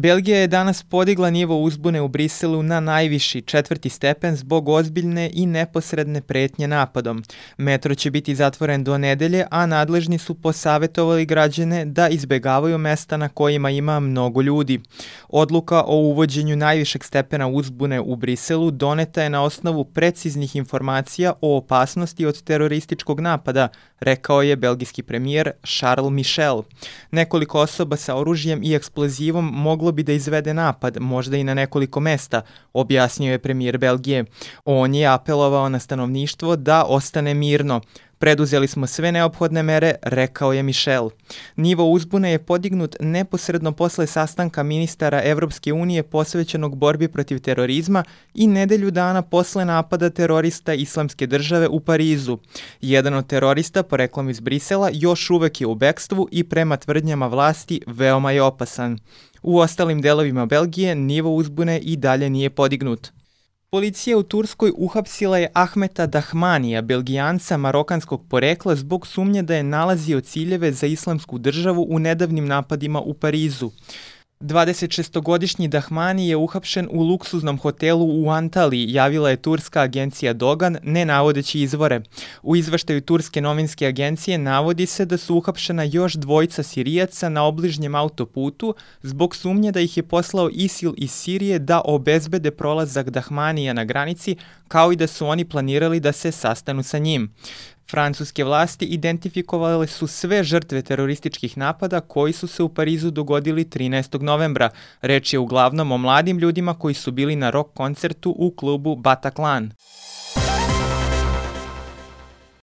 Belgija je danas podigla nivo uzbune u Briselu na najviši 4. stepen zbog ozbiljne i neposredne pretnje napadom. Metro će biti zatvoren do nedelje, a nadležni su posavetovali građane da izbegavaju mesta na kojima ima mnogo ljudi. Odluka o uvođenju najvišeg stepena uzbune u Briselu doneta je na osnovu preciznih informacija o opasnosti od terorističkog napada, rekao je belgijski premijer Charles Michel. Nekoliko osoba sa oružjem i eksplozivom moglo bi da izvede napad, možda i na nekoliko mesta, objasnio je premijer Belgije. On je apelovao na stanovništvo da ostane mirno. Preduzeli smo sve neophodne mere, rekao je Michel. Nivo uzbune je podignut neposredno posle sastanka ministara Evropske unije posvećenog borbi protiv terorizma i nedelju dana posle napada terorista Islamske države u Parizu. Jedan od terorista, poreklom iz Brisela, još uvek je u bekstvu i prema tvrdnjama vlasti veoma je opasan. U ostalim delovima Belgije nivo uzbune i dalje nije podignut. Policija u Turskoj uhapsila je Ahmeta Dahmanija, Belgijanca marokanskog porekla, zbog sumnje da je nalazio ciljeve za Islamsku državu u nedavnim napadima u Parizu. 26-godišnji Dahmani je uhapšen u luksuznom hotelu u Antaliji, javila je turska agencija Dogan, ne navodeći izvore. U izveštaju turske novinske agencije navodi se da su uhapšena još dvojica Sirijaca na obližnjem autoputu zbog sumnje da ih je poslao ISIL iz Sirije da obezbede prolazak Dahmanija na granici, kao i da su oni planirali da se sastanu sa njim. Francuske vlasti identifikovale su sve žrtve terorističkih napada koji su se u Parizu dogodili 13. novembra. Reč je uglavnom o mladim ljudima koji su bili na rock koncertu u klubu Bataclan.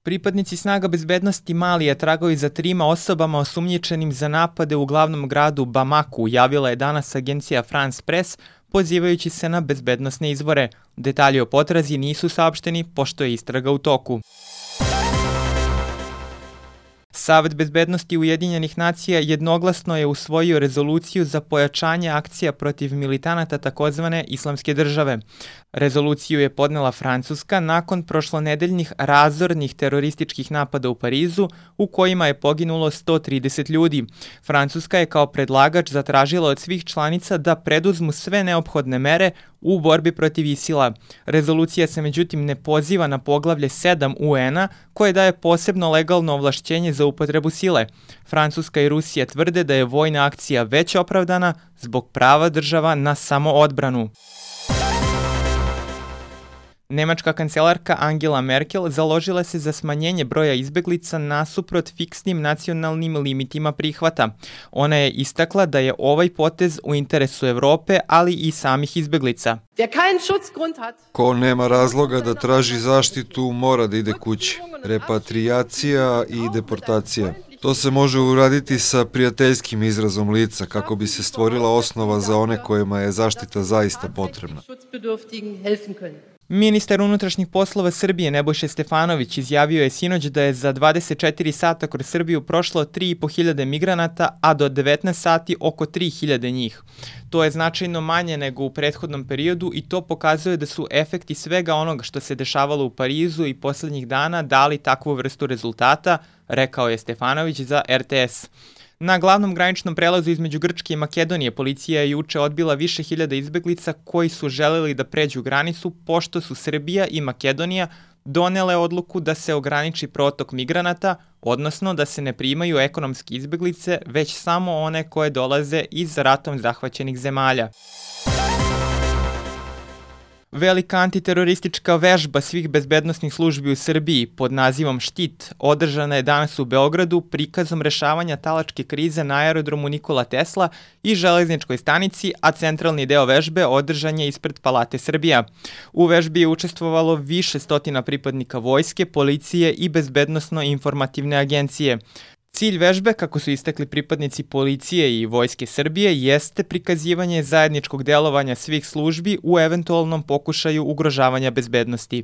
Pripadnici snaga bezbednosti Malija tragaju za 3 osobama osumnjičenim za napade u glavnom gradu Bamaku, javila je danas agencija France Press, pozivajući se na bezbednosne izvore. Detalji o potrazi nisu saopšteni, pošto je istraga u toku. Savet bezbednosti Ujedinjenih nacija jednoglasno je usvojio rezoluciju za pojačanje akcija protiv militanata takozvane Islamske države. Rezoluciju je podnela Francuska nakon prošlonedeljnih razornih terorističkih napada u Parizu, u kojima je poginulo 130 ljudi. Francuska je kao predlagač zatražila od svih članica da preduzmu sve neophodne mere u borbi protiv ISIL-a. Rezolucija se međutim ne poziva na poglavlje 7 UN-a, koje daje posebno legalno ovlašćenje za upotrebu sile. Francuska i Rusija tvrde da je vojna akcija već opravdana zbog prava država na samoodbranu. Nemačka kancelarka Angela Merkel založila se za smanjenje broja izbeglica nasuprot fiksnim nacionalnim limitima prihvata. Ona je istakla da je ovaj potez u interesu Evrope, ali i samih izbeglica. Ko nema razloga da traži zaštitu, mora da ide kući. Repatriacija i deportacija. To se može uraditi sa prijateljskim izrazom lica kako bi se stvorila osnova za one kojima je zaštita zaista potrebna. Ministar unutrašnjih poslova Srbije Nebojša Stefanović izjavio je sinoć da je za 24 sata kroz Srbiju prošlo 3.500 migranata, a do 19 sati oko 3.000 njih. To je značajno manje nego u prethodnom periodu i to pokazuje da su efekti svega onoga što se dešavalo u Parizu i poslednjih dana dali takvu vrstu rezultata, rekao je Stefanović za RTS. Na glavnom graničnom prelazu između Grčke i Makedonije policija je juče odbila više hiljada izbeglica koji su želeli da pređu granicu, pošto su Srbija i Makedonija donele odluku da se ograniči protok migranata, odnosno da se ne primaju ekonomske izbeglice, već samo one koje dolaze iz ratom zahvaćenih zemalja. Velika antiteroristička vežba svih bezbednosnih službi u Srbiji pod nazivom Štit održana je danas u Beogradu prikazom rešavanja talačke krize na aerodromu Nikola Tesla i železničkoj stanici, a centralni deo vežbe održan je ispred Palate Srbija. U vežbi je učestvovalo više stotina pripadnika vojske, policije i bezbednosno-informativne agencije. Cilj vežbe, kako su istakli pripadnici policije i Vojske Srbije, jeste prikazivanje zajedničkog delovanja svih službi u eventualnom pokušaju ugrožavanja bezbednosti.